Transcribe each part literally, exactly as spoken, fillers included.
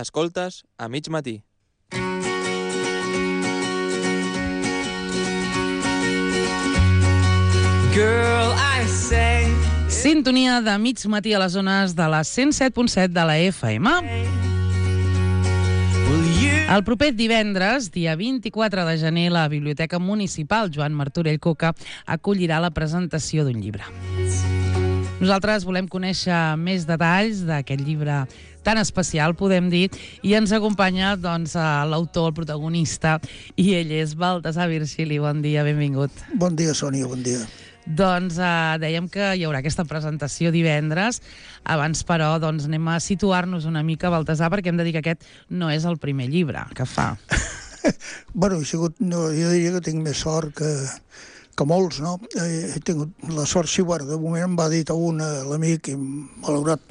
Escoltes a mig matí. Girl, I say... Sintonia de mig matí a les zones de la cent set punt set de la F M. El proper divendres, dia vint-i-quatre de gener, la Biblioteca Municipal Joan Martorell Coca acollirà la presentació d'un llibre. Nosaltres volem conèixer més detalls d'aquest llibre tan especial, podem dir, i ens acompanya doncs, l'autor, el protagonista, i ell és Baltasar Virgili. Bon dia, benvingut. Bon dia, Sònia, bon dia. Doncs eh, dèiem que hi haurà aquesta presentació divendres. Abans, però, doncs, anem a situar-nos una mica, Baltasar, perquè hem de dir que aquest no és el primer llibre que fa. Bueno, he sigut, no, jo diria que tinc més sort que, que molts, no? He tingut la sort, sí, bueno, de moment em va dir a un, l'amic, i malaurat,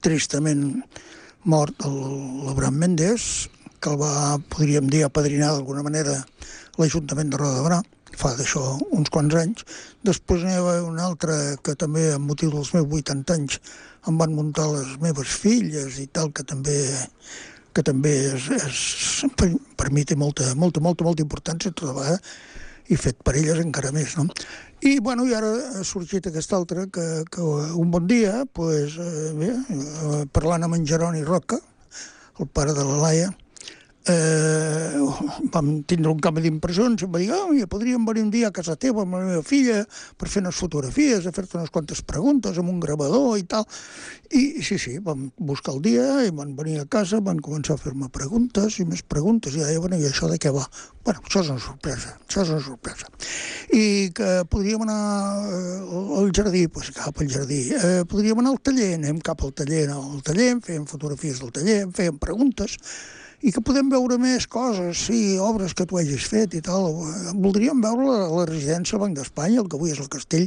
tristament mort, l'Abraham Méndez, que el va, podríem dir, apadrinar d'alguna manera l'Ajuntament de Roda de Berà, fa d'això uns quants anys. Després n'hi va un altre que també, amb motiu dels meus vuitanta anys, em van muntar les meves filles i tal, que també que també és, és per, per mi té molta, molta, molta, molta importància tota vegada, i fet per elles encara més, no? I, bueno, i ara ha sorgit aquest altre, que, que un bon dia, pues, eh, bé, eh, parlant amb en Jeroni Roca, el pare de la Laia, Eh, vam tindre un canvi d'impressions i em va dir, oh, ja podríem venir un dia a casa teva amb la meva filla per fer unes fotografies, a fer-te unes quantes preguntes amb un gravador i tal. I sí, sí, vam buscar el dia i van venir a casa, van començar a fer-me preguntes i més preguntes, i deia, bueno, i això de què va? Bueno, això és una sorpresa, això és una sorpresa. I que podríem anar al jardí, doncs cap al jardí. Eh, podríem anar al taller, anem cap al taller, al taller, fèiem fotografies del taller, fèiem preguntes, i que podem veure més coses, sí, obres que tu hagis fet i tal. Voldríem veure la, la residència del Banc d'Espanya, el que avui és el castell.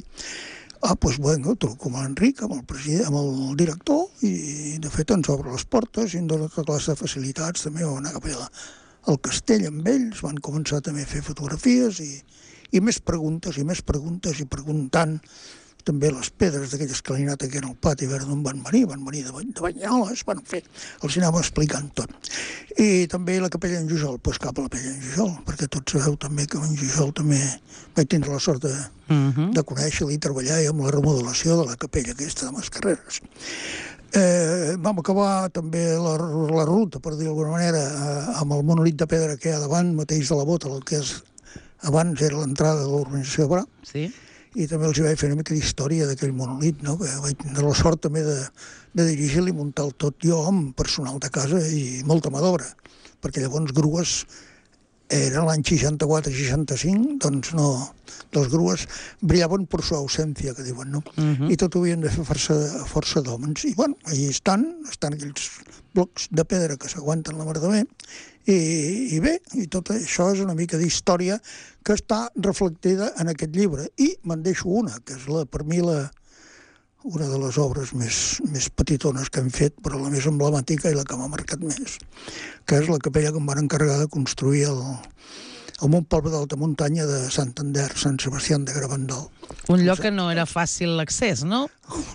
Ah, doncs, bueno, truco amb l'Enric, amb el president, amb el director, i de fet ens obre les portes i ens dona tota classe de facilitats. També vam anar cap allà al castell amb ells, van començar també a fer fotografies i, i més preguntes i més preguntes i preguntant també les pedres d'aquella escalinata que era al pati, a veure d'on van venir, van venir de, de Banyoles, van fer, els anàvem explicant tot. I també la capella en Jujol, doncs cap a la capella en Jujol, perquè tots sabeu també que en Jujol també vaig tindre la sort de, uh-huh. de conèixer-la i treballar amb la remodelació de la capella aquesta de Mascarreres. Eh, vam acabar també la, la ruta, per dir d'alguna manera, eh, amb el monòlit de pedra que hi ha davant, mateix de la bota, el que és, abans era l'entrada de l'urbanització de Berà. Sí. I també els hi vaig fer una mica d'història d'aquell monòlit, no? Que vaig tenir la sort també de, de dirigir-li i muntar el tot jo amb personal de casa i molta mà d'obra, perquè llavors grues era l'any seixanta-quatre seixanta-cinc, doncs no, les grues brillaven per su ausència, que diuen, no? Uh-huh. I tot ho havien de fer força, força d'homes. I, bueno, allà estan, estan aquells blocs de pedra que s'aguanten la mar de bé, i, i bé, i tot això és una mica d'història que està reflectida en aquest llibre. I me'n deixo una, que és la, per mi la, una de les obres més, més petitones que hem fet, però la més emblemàtica i la que m'ha marcat més, que és la capella que em van encarregar de construir el, en un poble d'alta muntanya de Santander, Sant Sebastià de Garabandal. Un lloc que no era fàcil l'accés, no?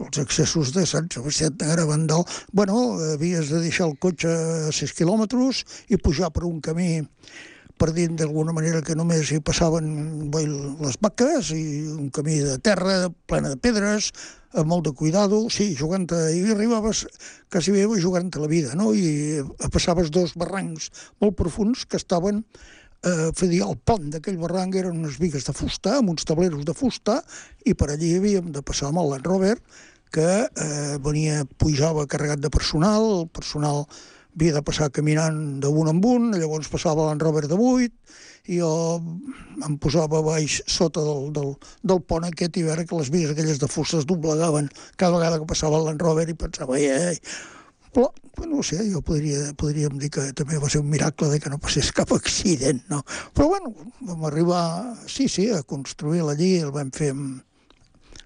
Els accessos de Sant Sebastià de Garabandal, bueno, havies de deixar el cotxe a sis quilòmetres i pujar per un camí per dir d'alguna manera que només hi passaven bé, les vaques, i un camí de terra plena de pedres, amb molt de cuidado, sí, jugant a... i arribaves quasi bé jugant a la vida, no? I passaves dos barrancs molt profuns que estaven eh, fer dir, el pont d'aquell barranc eren unes bigues de fusta, amb uns tableros de fusta, i per allí havíem de passar amb el Land Rover, que eh, venia, pujava carregat de personal, el personal havia de passar caminant d'un en un, llavors passava el Land Rover de vuit, i jo em posava baix sota del, del, del pont aquest i veure que les bigues aquelles de fusta es doblegaven cada vegada que passava el Land Rover i pensava, ei, ei, però, no sé, jo podria, podríem dir que també va ser un miracle de que no passés cap accident, no? Però, bueno, vam arribar, sí, sí, a construir-la allí, el vam fer amb,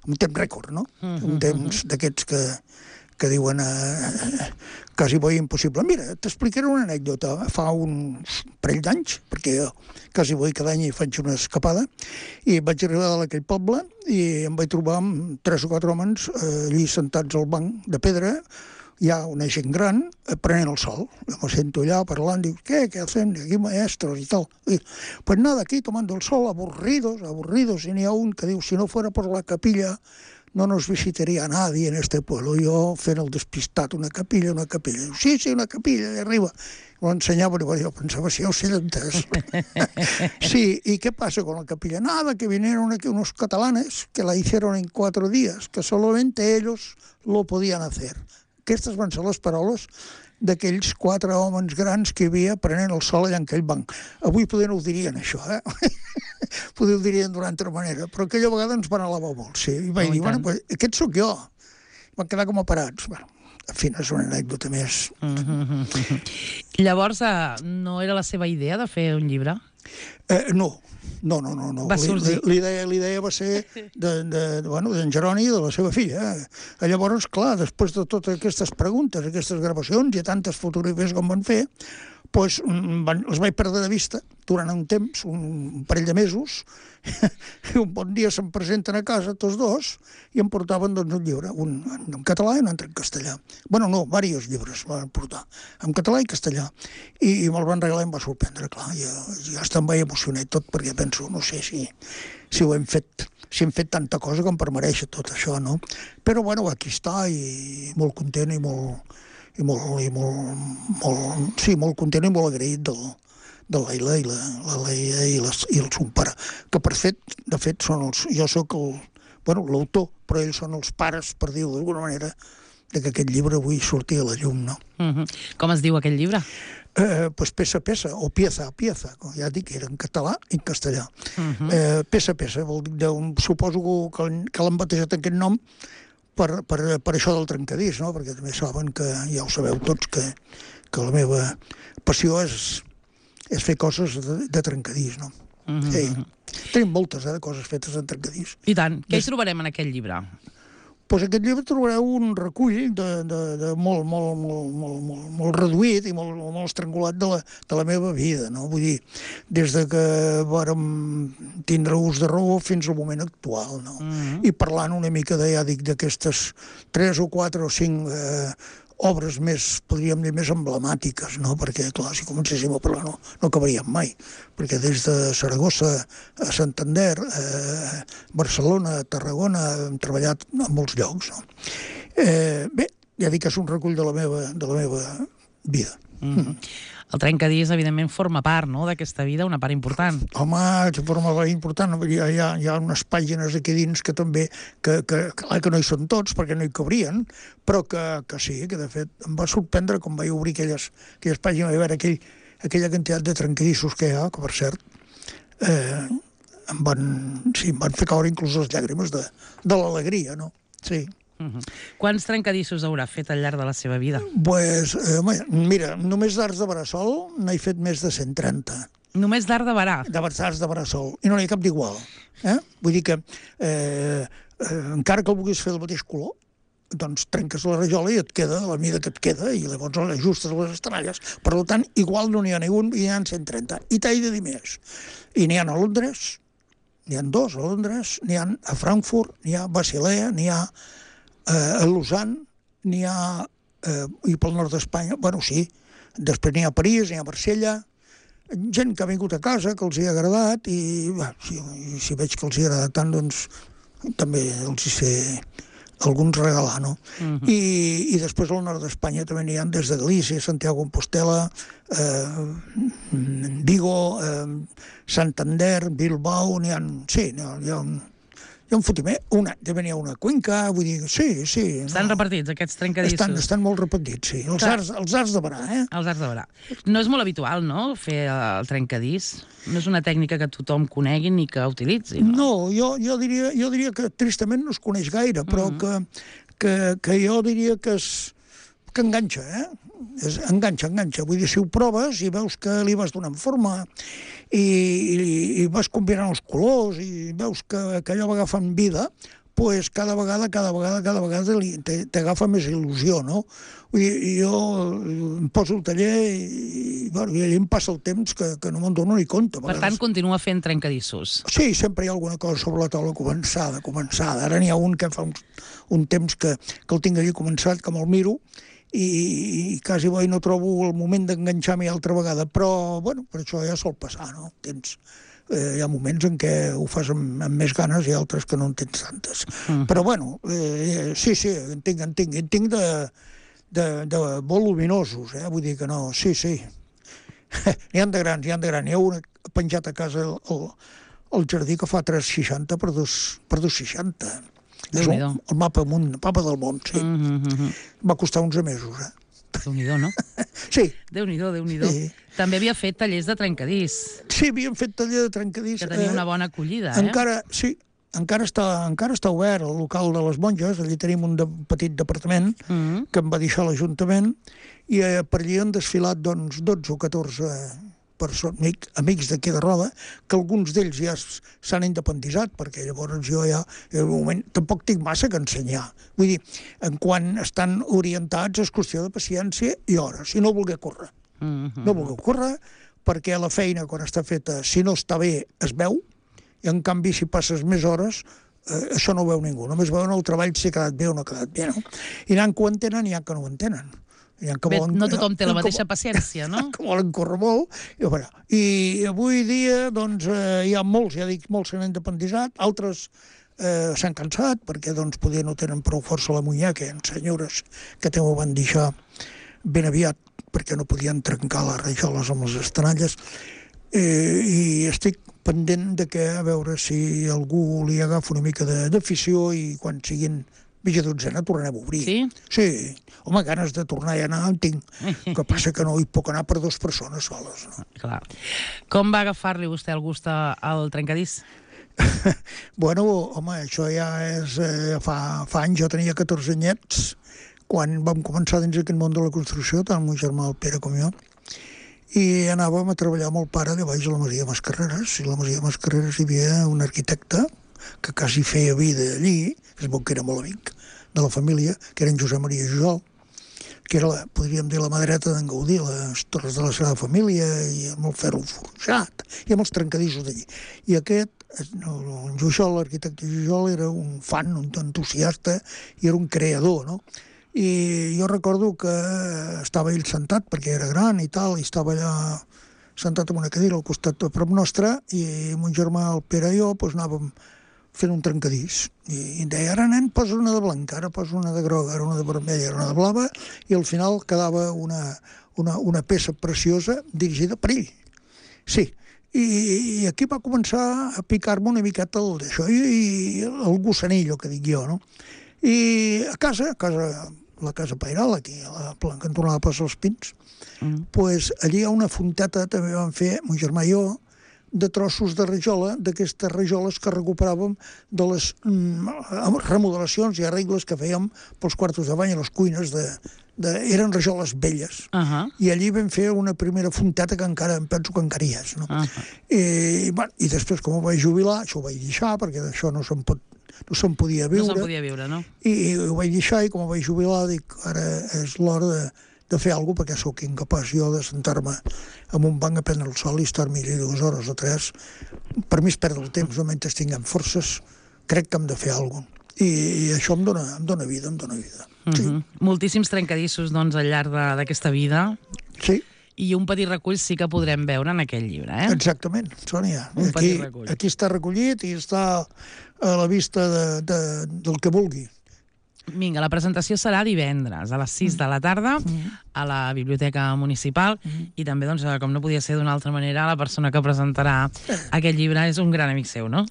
amb temps rècord, no? Uh-huh, un temps uh-huh. d'aquests que, que diuen eh, quasi bo impossible. Mira, t'explicaré una anècdota. Fa un parell d'anys, perquè jo quasi bo cada any hi faig una escapada, i vaig arribar a aquell poble i em vaig trobar amb tres o quatre homes eh, allí sentats al banc de pedra, hi ha una gent gran prenent el sol. Jo me sento allà parlant, diu, què, què hacen aquí maestros i tal. I, pues nada, aquí tomando el sol, aburridos, aburridos, i n'hi ha un que diu, si no fuera por la capilla, no nos visitaría nadie en este pueblo. Jo fent el despistat, una capilla, una capilla. Diu, sí, sí, una capilla, allà arriba. Ho ensenyava, i jo pensava, si ja ho sé d'entès. Sí, ¿y qué pasa con la capilla? Nada, que vinieron aquí unos catalanes que la hicieron en cuatro días, que solamente ellos lo podían hacer. Aquestes van ser les paraules d'aquells quatre homes grans que hi havia prenent el sol allà en aquell banc. Avui poder no ho dirien, això, eh? Poder ho dirien d'una altra manera, però aquella vegada ens van alabar molt, sí. I vaig Oh, i dir, bueno, tant. pues, aquest sóc jo. Van quedar com a parats. Bueno, en fi, no és una anècdota més. Llavors, eh, no era la seva idea de fer un llibre? Eh, no, no, no, no. no. Va sorgir. L'idea l'idea va ser d'en de, de, bueno, d'en Jeroni i de la seva filla. Eh? Llavors, clar, després de totes aquestes preguntes, aquestes gravacions i tantes fotografies com van fer, pues, van, els vaig perdre de vista durant un temps, un parell de mesos, i un bon dia se'm presenten a casa tots dos i em portaven doncs, un llibre, un en català i un altre en castellà. Bueno, no, diversos llibres van portar, en català i castellà. I, i me'l van regalar i em va sorprendre, clar. Jo, jo hasta em vaig emocionar i tot, perquè penso, no sé si, si ho hem fet, si hem fet tanta cosa com per mereixer tot això, no? Però, bueno, aquí està, i molt content i molt, i molt, i molt, molt, sí, molt content i molt agraït del, de la Leila i la, la Leia i, les, i el son pare, que per fet, de fet són els, jo sóc el, bueno, l'autor, però ells són els pares, per dir-ho d'alguna manera, de que aquest llibre avui surti a la llum, no? Uh -huh. Com es diu aquell llibre? Eh, pues peça a peça, o pieza a pieza, com ja dic, era en català i en castellà. Uh -huh. eh, peça a peça, vol dir, d'un, suposo que, que l'han batejat aquest nom per, per, per això del trencadís, no? Perquè també saben que, ja ho sabeu tots, que, que la meva passió és, és fer coses de, de trencadís, no? Uh -huh. Sí. Tenim moltes, eh, de coses fetes en trencadís. I tant. Què hi trobarem en aquell llibre? Pues aquest llibre trobareu un recull de, de, de molt, molt, molt, molt, molt, molt reduït i molt, molt estrangulat de la, de la meva vida, no? Vull dir, des de que vàrem tindre ús de raó fins al moment actual, no? Mm-hmm. I parlant una mica, de, ja dic, d'aquestes tres o quatre o cinc eh, obres més, podríem dir, més emblemàtiques, no? Perquè, clar, si comencéssim a parlar no, no acabaríem mai, perquè des de Saragossa a Santander, eh, Barcelona, Tarragona, hem treballat en molts llocs, no? Eh, bé, ja dic que és un recull de la meva, de la meva vida. Mm. El trencadís, evidentment, forma part, no?, d'aquesta vida, una part important. Home, de forma molt important, hi ha, hi ha, hi ha unes pàgines aquí dins que també, que, que, clar que no hi són tots, perquè no hi cabrien, però que, que sí, que de fet em va sorprendre quan vaig obrir aquelles, aquelles pàgines i veure aquell, aquella quantitat de trencadissos que hi ha, que per cert, eh, em van, sí, em van fer caure inclús les llàgrimes de, de l'alegria, no? Sí. Uh -huh. Quants trencadissos haurà fet al llarg de la seva vida? Pues, eh, mira, només d'arts de bressol n'he fet més de cent trenta. Només d'art de barà? De arts de bressol. I no n'hi ha cap d'igual. Eh? Vull dir que, eh, eh, encara que el vulguis fer del mateix color, doncs trenques la rajola i et queda la mida que et queda i llavors ajustes les estralles. Per tant, igual no n'hi ha ningú i n'hi ha cent trenta. I t'he de dir més. I n'hi ha a Londres, n'hi ha dos a Londres, n'hi ha a Frankfurt, n'hi ha a Basilea, n'hi ha eh, a Lausanne, n'hi ha eh, i pel nord d'Espanya, bueno, sí, després n'hi ha a París, n'hi ha a Marsella, gent que ha vingut a casa, que els hi ha agradat, i bé, si, si veig que els hi ha agradat tant, doncs també els hi sé alguns regalar, no? Uh -huh. I, I després al nord d'Espanya també n'hi ha des de Galícia, Santiago de Compostela, eh, Vigo, eh, Santander, Bilbao, n'hi ha... Sí, n'hi ha, hi ha un... Hi ha un fotimer, una, també n'hi ha una Cuenca, vull dir, sí, sí. Estan no. repartits, aquests trencadissos? Estan, estan molt repartits, sí. Els arts, els arts de barà, eh? Els arts de barà. No és molt habitual, no?, fer el trencadís. No és una tècnica que tothom conegui ni que utilitzi, no? No, jo, jo, diria, jo diria que tristament no es coneix gaire, però mm -hmm. que, que, que jo diria que és que enganxa, eh? És, enganxa, enganxa. Vull dir, si ho proves i veus que li vas donant forma i, i, i vas combinant els colors i veus que, que allò va agafant vida, pues cada vegada, cada vegada, cada vegada t'agafa més il·lusió, no? Vull dir, jo em poso el taller i, i, bueno, i allà em passa el temps que, que no me'n dono ni compte. Per tant, continua fent trencadissos. Sí, sempre hi ha alguna cosa sobre la taula començada, començada. Ara n'hi ha un que fa un, un temps que, que el tinc allí començat, que me'l miro, i, i quasi bo i no trobo el moment d'enganxar-m'hi altra vegada, però, bueno, per això ja sol passar, no? Tens, eh, hi ha moments en què ho fas amb, amb més ganes i altres que no en tens tantes. Mm. Però, bueno, eh, sí, sí, en tinc, en tinc, en tinc de, de, de molt luminosos, eh? Vull dir que no, sí, sí. N'hi ha de grans, n'hi ha de grans. N'hi ha un penjat a casa el, el, el jardí que fa tres coma seixanta per dos coma seixanta. És el, el mapa, món, mapa del món, sí. Mm -hmm. Va costar onze mesos, eh? Déu-n'hi-do, no? Sí. Déu-n'hi-do, Déu-n'hi-do. Sí. També havia fet tallers de trencadís. Sí, havíem fet taller de trencadís. Que tenia una bona acollida, eh? Encara, sí, encara està, encara està obert el local de les monges, allí tenim un de, petit departament mm -hmm. que em va deixar l'Ajuntament, i eh, per allí han desfilat doncs, dotze o catorze persones, amic, amics d'aquí de Roda, que alguns d'ells ja s'han independitzat, perquè llavors jo ja, en un moment, tampoc tinc massa que ensenyar. Vull dir, en quan estan orientats és qüestió de paciència i hores, si no voler córrer. Mm -hmm. No voler córrer, perquè la feina, quan està feta, si no està bé, es veu, i en canvi, si passes més hores, eh, això no ho veu ningú. Només veuen el treball si ha quedat bé o no ha quedat bé, no? I n'hi ha que ho entenen i n'hi ha que no ho entenen. Bé, volen, no tothom té la mateixa paciència, no? Que volen córrer molt. I, bueno, i avui dia, doncs, eh, hi ha molts, ja dic, molts s'han independitzat, altres eh, s'han cansat, perquè, doncs, poder no tenen prou força a la muñeca, hi ha senyores que també ho van deixar ben aviat, perquè no podien trencar les rajoles amb les estanalles, eh, i estic pendent de que, a veure si algú li agafa una mica d'afició i quan siguin mitja dotzena tornarem a obrir. Sí? Sí. Home, ganes de tornar a anar en tinc. El que passa que no hi puc anar per dues persones soles. No? Clar. Com va agafar-li vostè el gust al trencadís? Bueno, home, això ja és... Eh, fa, fa anys, jo tenia catorze anyets, quan vam començar dins aquest món de la construcció, tant el meu germà, el Pere, com jo, i anàvem a treballar amb el pare de baix a la Masia Mascarreres. I a la Masia Mascarreres hi havia un arquitecte que quasi feia vida allí, que es veu que era molt amic de la família, que era en Josep Maria Jujol, que era, la, podríem dir, la mà dreta d'en Gaudí, les torres de la seva família, i amb el ferro forjat, i amb els trencadissos d'allí. I aquest, en Jujol, l'arquitecte Jujol, era un fan, un entusiasta, i era un creador, no? I jo recordo que estava ell sentat, perquè era gran i tal, i estava allà sentat en una cadira al costat a prop nostre, i mon germà, el Pere i jo, doncs anàvem fent un trencadís. I em deia, ara nen, posa una de blanca, ara posa una de groga, ara una de vermella, ara una de blava, i al final quedava una, una, una peça preciosa dirigida per ell. Sí, i, i aquí va començar a picar-me una miqueta el d'això, i, i el gossanillo, que dic jo, no? I a casa, a casa, la casa Pairal, aquí, a la cantonada de Plaça dels Pins, mm. pues allí hi ha una fonteta, també vam fer, mon germà i jo, de trossos de rajola, d'aquestes rajoles que recuperàvem de les mm, remodelacions i arregles que fèiem pels quartos de bany i les cuines. De, de, eren rajoles velles. Uh -huh. I allí vam fer una primera fonteta que encara em penso que encara hi és. No? Uh -huh. I, bueno, I després, com ho vaig jubilar, això ho vaig deixar, perquè d'això no se'n pot no se'n podia viure. No se'n podia viure, no? I, I ho vaig deixar, i com ho vaig jubilar, dic, ara és l'hora de de fer alguna cosa, perquè sóc incapaç jo de sentar-me en un banc a prendre el sol i estar-me allà dues hores o tres. Per mi és perdre el temps, no mentre tinguem forces, crec que hem de fer alguna cosa. I, i això em dona, em dona vida, em dona vida. Sí. Uh-huh. Moltíssims trencadissos, doncs, al llarg d'aquesta vida. Sí. I un petit recull sí que podrem veure en aquell llibre, eh? Exactament, Sònia. Un aquí, petit recull. Aquí està recollit i està a la vista de, de, del que vulgui. Vinga, la presentació serà divendres a les sis de la tarda a la Biblioteca Municipal i també, doncs, com no podia ser d'una altra manera, la persona que presentarà aquest llibre és un gran amic seu, no?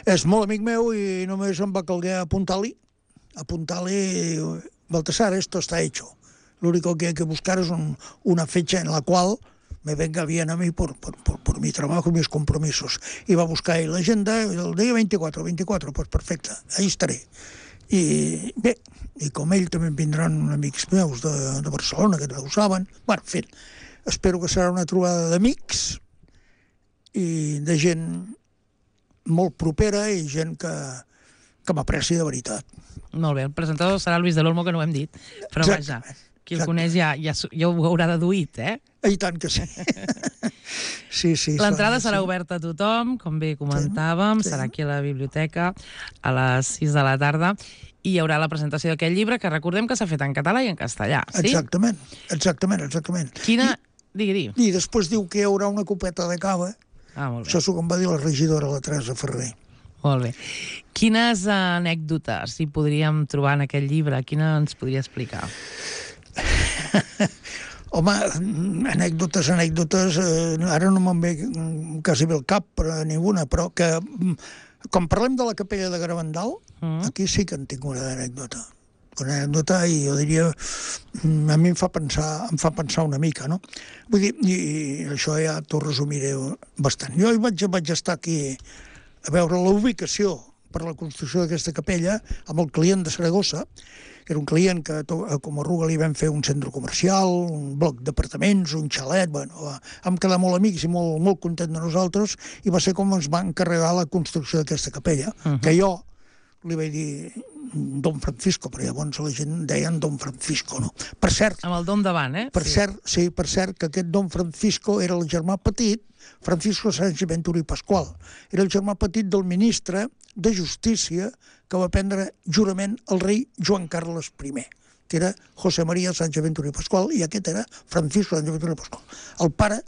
És molt amic meu i només em va calguer apuntar-li, apuntar-li, Baltasar, esto está hecho. Lo único que hay que buscar es un, una fecha en la cual me venga bien a mí por, por, por, por mi trabajo y mis compromisos. I va buscar ahí l'agenda, el dia veinticuatro, veinticuatro, pues perfecte, ahí estaré. I bé, i com ell també vindran amics meus de, de Barcelona, que no ho saben. Bueno, en fi, espero que serà una trobada d'amics i de gent molt propera i gent que, que m'apreci de veritat. Molt bé, el presentador serà Luis del Olmo, que no ho hem dit, però Exactament. vaja, qui el coneix ja, ja, ja ho haurà deduït, eh? I tant que sí. Sí, sí. L'entrada sí. serà oberta a tothom, com bé comentàvem, Sí, sí. serà aquí a la biblioteca a les sis de la tarda i hi haurà la presentació d'aquest llibre, que recordem que s'ha fet en català i en castellà, sí? Exactament, exactament, exactament. Quina... Digui, digui. I, I després diu que hi haurà una copeta de cava. Ah, molt bé. Això és el que em va dir la regidora, la Teresa Ferrer. Molt bé. Quines anècdotes hi podríem trobar en aquest llibre? Quina ens podria explicar? Home, anècdotes, anècdotes, eh, ara no me'n ve quasi bé el cap, però ninguna, però que, quan parlem de la capella de Garabandal, mm. aquí sí que en tinc una anècdota. Una anècdota, i jo diria, a mi em fa pensar, em fa pensar una mica, no? Vull dir, i, i això ja t'ho resumiré bastant. Jo hi vaig, vaig estar aquí a veure la ubicació per la construcció d'aquesta capella amb el client de Saragossa, que era un client que a Comarruga li vam fer un centre comercial, un bloc d'apartaments, un xalet, bueno, va, vam quedar molt amics i molt, molt content de nosaltres, i va ser com ens va encarregar la construcció d'aquesta capella, uh -huh. que jo li vaig dir Don Francisco, però llavors la gent deien Don Francisco, no? Per cert... Amb el Dom davant, eh? Per sí. cert, sí, per cert, que aquest Don Francisco era el germà petit, Francisco Sánchez Ventura i Pascual. Era el germà petit del ministre de Justícia que va prendre jurament el rei Joan Carles I, que era José María Sánchez Ventura i Pascual, i aquest era Francisco Sánchez Ventura i Pascual. El pare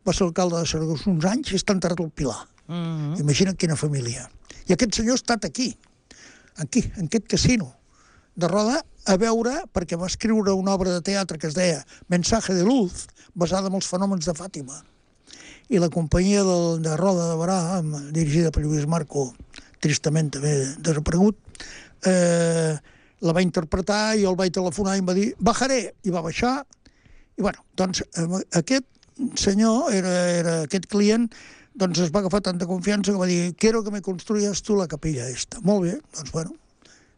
va ser alcalde de Saragossa uns anys i està enterrat al Pilar. Uh -huh. Imagina't quina família. I aquest senyor ha estat aquí, aquí, en aquest casino de Roda, a veure, perquè va escriure una obra de teatre que es deia Mensaje de Luz, basada en els fenòmens de Fàtima. I la companyia de, de Roda de Barà, dirigida per Lluís Marco, tristament també desaparegut, eh, la va interpretar i el vaig telefonar i em va dir bajaré, i va baixar. I bueno, doncs aquest senyor, era, era aquest client, doncs es va agafar tanta confiança que va dir quiero que me construyas tu la capella esta. Molt bé, doncs bueno,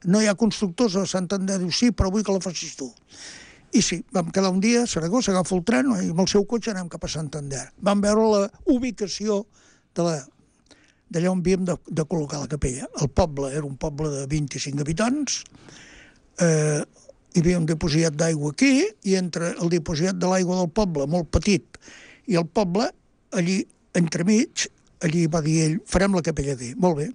no hi ha constructors a Santander, diu sí, però vull que la facis tu. I sí, vam quedar un dia a Saragossa, agafo el tren i amb el seu cotxe anem cap a Santander. Vam veure la ubicació de la d'allà on havíem de, de col·locar la capella. El poble era un poble de vint-i-cinc habitants, eh, hi havia un dipositat d'aigua aquí, i entre el dipositat de l'aigua del poble, molt petit, i el poble, allí, entremig, allí va dir ell, farem la capella aquí. Molt bé.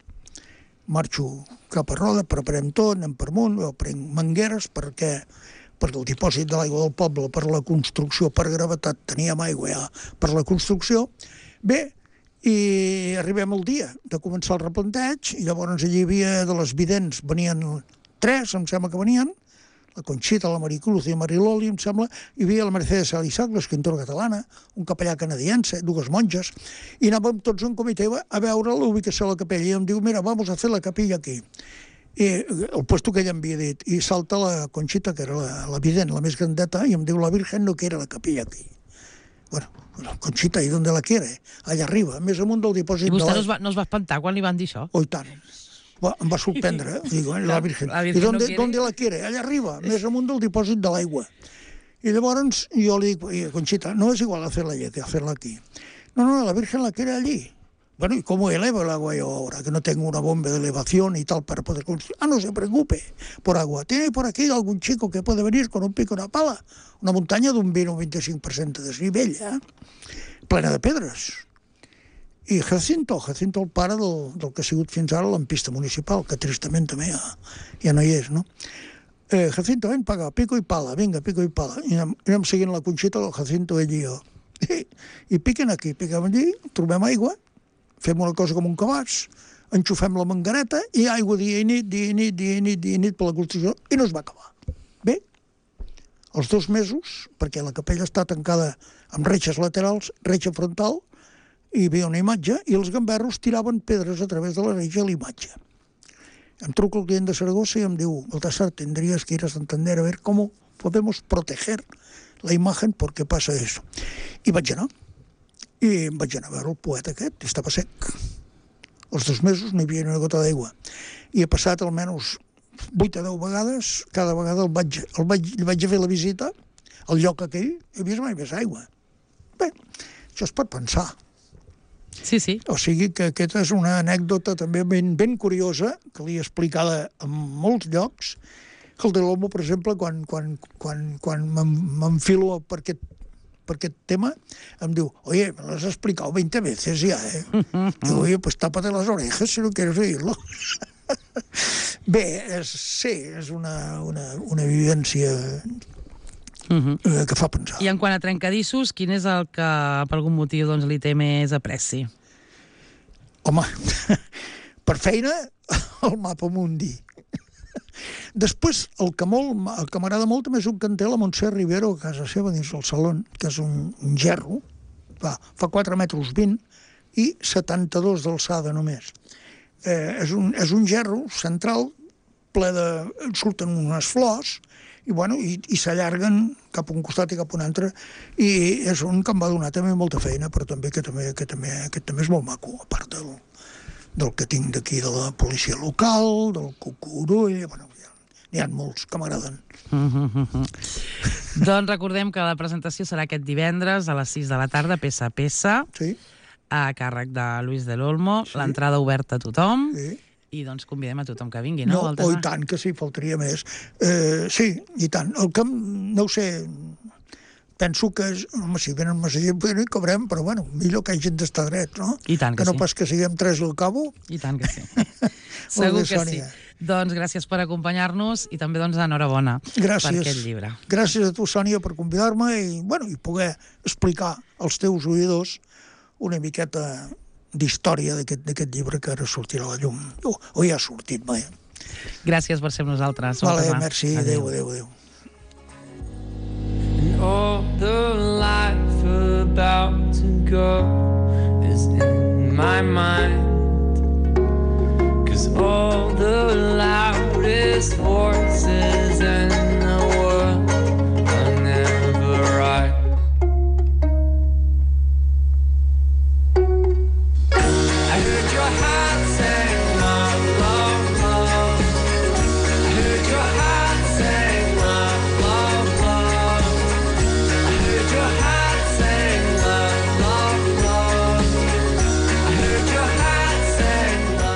Marxo cap a Roda, preparem tot, anem per amunt, jo prenc mangueres perquè per el dipòsit de l'aigua del poble, per la construcció, per gravetat, teníem aigua ja per la construcció. Bé, i arribem al dia de començar el replanteig, i llavors allí hi havia de les vidents, venien tres, em sembla que venien, la Conxita, la Maricruz i la Mariloli, em sembla, hi havia la Mercedes Salisac, l'escriptora catalana, un capellà canadiense, dues monges, i anàvem tots en comitè a veure la ubicació de la capella, i em diu, mira, vamos a fer la capella aquí. I el puesto que ella em havia dit, i salta la Conxita, que era la, la vident, la més grandeta, i em diu, la Virgen no quiere la capella aquí. Bueno, la Conxita, ¿y dónde la quiere? Allà arriba, més amunt del dipòsit I de vostè l'aigua. no es, va, no es va espantar quan li van dir això? Oh, i tant. Va, em va sorprendre, eh? Digo, eh, la Virgen. La Virgen I ¿dónde, no ¿dónde la quiere? Allà arriba, més amunt del dipòsit de l'aigua. I llavors jo li dic, Conxita, no es igual hacerla allí que hacerla aquí. No, no, la Virgen la quiere allí. Bueno, ¿y cómo elevo el agua yo ahora? Que no tengo una bomba de elevación y tal para poder construir. Ah, no se preocupe por agua. ¿Tiene por aquí algún chico que puede venir con un pico y una pala? Una muntanya d'un vint o vint-i-cinc per cent de desnivell, eh? Plena de pedres. I Jacinto, Jacinto el pare del, del que ha sigut fins ara l'ampista municipal, que tristament també ja, ja no hi és, no? Eh, Jacinto, ven, paga, pico i pala, vinga, pico i pala. I anem, anem seguint la Conxita, el Jacinto, ell i jo. I, i piquen aquí, piquem allí, trobem aigua, fem una cosa com un cabàs, enxufem la mangareta i aigua dia i nit, dia i nit, dia i nit, dia i nit per la construcció, i no es va acabar. Bé, els dos mesos, perquè la capella està tancada amb reixes laterals, reixa frontal, hi havia una imatge, i els gamberros tiraven pedres a través de la reixa a la imatge. Em truco el client de Saragossa i em diu, Baltasar, tendrías que ir a Santander a ver cómo podemos proteger la imagen porque pasa eso. I vaig anar. I em vaig anar a veure el poeta aquest, i estava sec. Els dos mesos no hi havia ni una gota d'aigua. I he passat almenys vuit a deu vegades, cada vegada el vaig, el vaig, li vaig fer la visita al lloc aquell, i he vist mai més aigua. Bé, això es pot pensar. Sí, sí. O sigui que aquesta és una anècdota també ben, ben curiosa, que l'he explicada en molts llocs, que el de l'Homo, per exemple, quan, quan, quan, quan m'enfilo per aquest, per aquest tema, em diu, oye, me lo has explicado veinte veces ya, eh? Digo, oye, pues tápate las orejas si no quieres oírlo. Bé, és, sí, és una, una, una vivència Uh-huh. eh, que fa pensar. I en quant a trencadissos, quin és el que per algun motiu doncs, li té més apreci? Home, per feina, el mapa mundi. Després, el que, molt, el que m'agrada molt també és un que en té la Montse Rivero a casa seva dins del saló, que és un, un gerro, fa, fa quatre metres vint i setanta-dos d'alçada només. Eh, és, un, és un gerro central ple de... surten unes flors i, bueno, i, i s'allarguen cap a un costat i cap a un altre, i és un que em va donar també molta feina, però també que també, que també, aquest també és molt maco, a part del, del que tinc d'aquí de la policia local, del Cucurull, bueno, n'hi ha molts que m'agraden. Doncs recordem que la presentació serà aquest divendres a les sis de la tarda, peça a peça, Sí, a càrrec de Luis del Olmo, Sí. l'entrada oberta a tothom, sí. i doncs convidem a tothom que vingui, no? No, Baltasar? oh, i tant, que sí, faltaria més. Eh, sí, i tant. El que, no ho sé, penso que, és, home, si venen massa gent, no hi cabrem, però bueno, millor que hi gent d'estar dret, no? I tant que no sí. pas que siguem tres al cabo. I tant que sí. Segur bé, que Sònia. sí. Doncs gràcies per acompanyar-nos i també doncs enhorabona Gràcies. per aquest llibre. Gràcies a tu, Sònia, per convidar-me i, bueno, i poder explicar als teus oïdors una miqueta d'història d'aquest llibre que ara sortirà a la llum. O, o ja ha sortit, mai. Gràcies per ser amb nosaltres. Vale, Baltasar. merci. Adéu, adéu, adéu. And all the life about to go is in my mind. 'Cause all the loudest voice